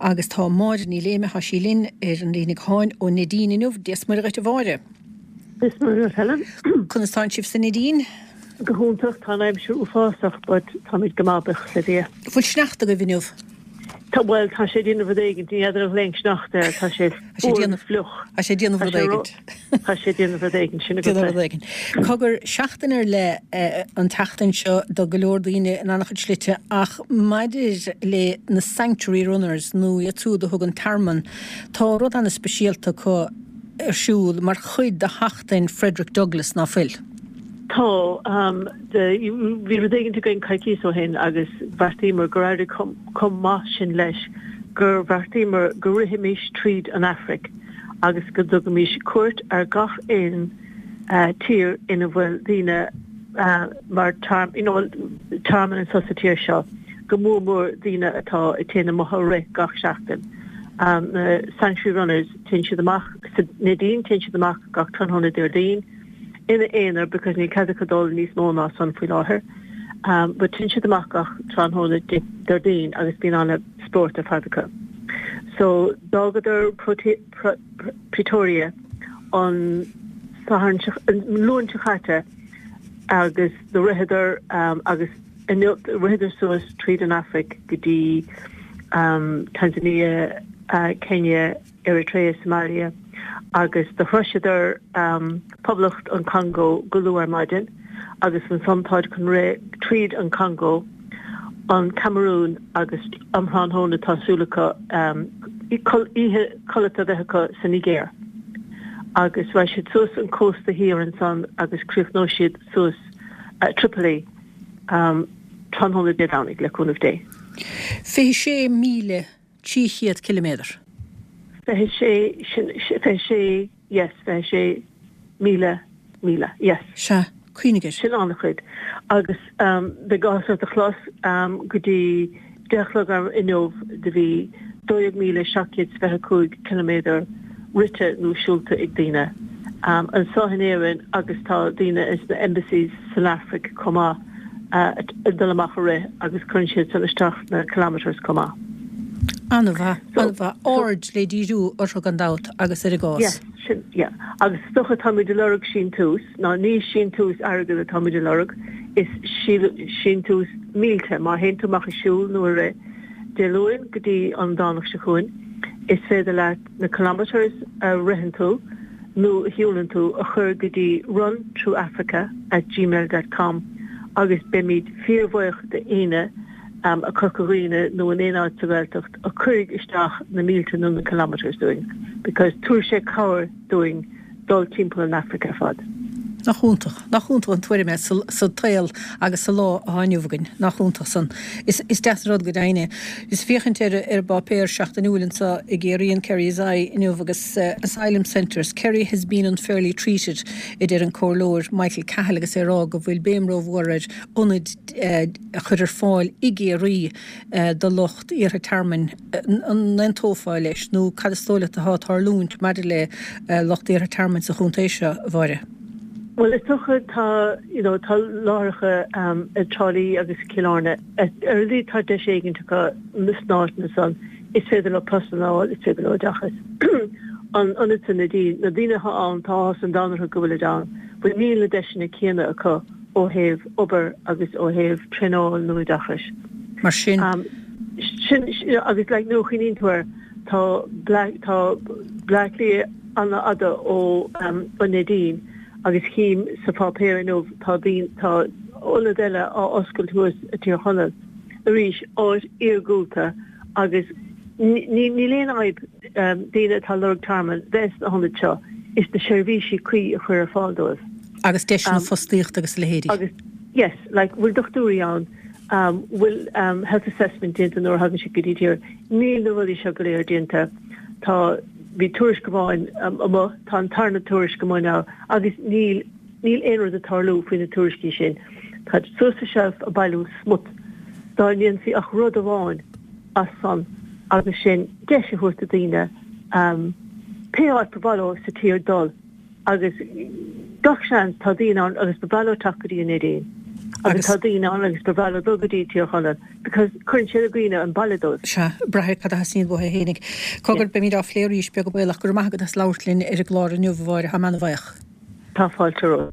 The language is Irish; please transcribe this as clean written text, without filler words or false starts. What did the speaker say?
Agus tá Máire Ní Léime, tá sí linn ar an líne gutháin ó Neidín inniu. Dia 's Muire dhuit a Mháire. Dia 's Muire dhuit Helen. Conas tánn sibh sa Neidín? Go hiontach, tá an aimsir uafásach but táimid go maith buíochas le Dia. Bhfuil sneachta agaibh inniu? Tá, bhuel, tá sé ag déanamh rud éigint, ní fheadar an ghlaonn sneachta air, tá sé fuar agus fliuch. Tá sé ag déanamh rud éigint. Tá sé ag déanamh rud éigint, sin agat é. Rud éigint. Cogar, seachtain ar leith an tseachtain seo do go leor daoine in an-chuid slite ach maidir le na Sanctuary Runners nó iad siúd a thugann tearmann, tá rud an-speisialta acu ar siúl mar chuid de sheachtain Frederick Douglass, ná fuil? Tá. Bhí rud éigint againn coicíos ó shin agus bheartaíomar gur éirigh chomh maith sin leis gur bheartaíomar go rithfimis tríd an Afraic agus go dtugaimis cuairt ar gach aon tír ina bhfuil daoine mar you know tearmann anso sa tír seo, go mór mór daoine atá ag téann amach ag rith gach seachtain. Na Sanctuary Runners, téann siad amach sa Neidín, téann siad amach gach tráthnóna Déardaoin. ina aonar because níl cead acu dul níos mó ná san faoi láthair. But téann siad amach gach tráthnóna Déardaoin agus bíonn ana spórt ar fad acu. So d'fhágadar Pretoria an Satharn seo, an Luan seo chaite agus do ritheadar agus inniu ritheadar suas tríd an Afraic go dtí Tanzania, Kenya, Eritrea, Somalia agus do shroiseadar Poblacht an Chongó go luath ar maidin agus ansan táid chun rith tríd an Chongó, an Camarún agus um thráthnóna tá súil acu oíche codlata a bheith acu sa Nigéir agus raghaidh siad suas an cósta thiar ansan agus críochnóidh siad suas Tripoli tráthnóna Dé Domhnaigh le cúnamh Dé. 26,000 300 ciliméadar. 26, sin, 26, yes, 26,000 míle, yes. Sea, cuimhnigh air. Sin an-chuid. Agus beidh áthas ort a chlos, go dtí 10 a chlog inniu do bhí 12,725 ciliméadar rite nó siúlta ag daoine anso in Éirinn agus tá daoine ins na embassies san Afraic chomh maith. ag dul amach ag rith agus cuireann siad san isteach na kilometres chomh maith. An-mhaith, an-mhaith. Aird le díriú orthu gan dabht agus ar a gcás. Yes, sin, yeah. Agus is dócha táimid ag lorg síntiús, ná ní síntiús airgid atáimid ag lorg, is síntiús mílte, má théann tú amach ag siúl nó ag rith Dé Luain go dtí an Domhnach seo chugainn, is féidir leat na kilometres a ritheann tú, nó a shiúlann tú a chur go dtí run through Africa at gmail dot com agus beimid fíorbhuíoch d'aoinne i Corca Dhuibhne nó in aon áit sa Ghaeltacht a chuirfidh isteach na mílte nó na kilometres dúinn because tabharfaidh sé cabhair dúinn dul timpeall an Afraic ar fad. Nach iontach, nach iontach an tuairim é sa tsaol agus sa lá atá inniu againn. Nach iontach san. Is deas an rud go deimhin é. Is féachaint ar an bpáipéar seachtainiúil anseo i gCiarraí, an Kerry's Eye, inniu agus Asylum Centres, Kerry has been unfairly treated, a deir an Comhairleoir Michael Cahill agus é ag rá go bhfuil béim rómhór ar ionaid a chur ar fáil i gCiarraí do lucht iarrtha tearmainn. An aontófá leis nó cad is dóigh leat atá ag tarlúint maidir le lucht iarrtha tearmainn sa chontae seo, a Mháire? Bhuel, is dócha tá, you know, tá láithreacha i dTrá Lí agus i gCill Airne. Ar a laghad tá deis éigint acu sna áiteanna san. Is féidir leo postanna a fháil, is féidir leo oideachas. An ionad sa Neidín, na daoine atá ann, tá áthas an domhain orthu go bhfuilid ann, but níl na deiseanna céanna acu ó thaobh obair agus ó thaobh traenáil nó oideachais. Mar sin. Sin, agus like nuair a chuimhníonn tú air, tá tá Bleá Cliath an-fhada ó an Neidín agus chím sa pháipéar inniu tá daoine, tá ionad eile á oscailt thuas i Tír Chonaill arís, áit iargúlta agus ní níl aon fhadhb daoine atá ag lorg tearmainn bheith sna hionaid seo, is na seirbhísí cuí a chur ar fáil dóibh. Agus deiseanna fostaíochta agus a leithéidí. Agus yes, like bhfuil dochtúirí ann, bhfuil health assessment déanta nuair a thagann siad go dtí tír, níl na rudaí seo go léir déanta. Tá, bhí tuairisc amháin amuigh, tá an tarna tuairisc amuigh now agus níl, níl aon rud ag tarlú faoi na tuairiscí sin. Táid suas sa shelf ag bailiú smut. Dá ndéanfaí ach rud amháin as san agus sin deis a thabhairt do daoine pé áit ba mhaith leo sa tír dul agus gach seans tá daoine ann agus ba mhaith leo teacht go dtí an Neidín. Agus tá daoine ann agus ba bhreá leo dul go dtí Tír Chonaill because cuireann siad i gcuimhne an baile dóibh. Sea, braithfidh cad a theastaíonn uathu fhéinig. Cogar, beimid á phlé arís, beag an baol, ach go raibh maith agat as labhairt linn ar an gclár inniu, a Mháire, táim ana-bhuíoch. Tá fáilte romhat.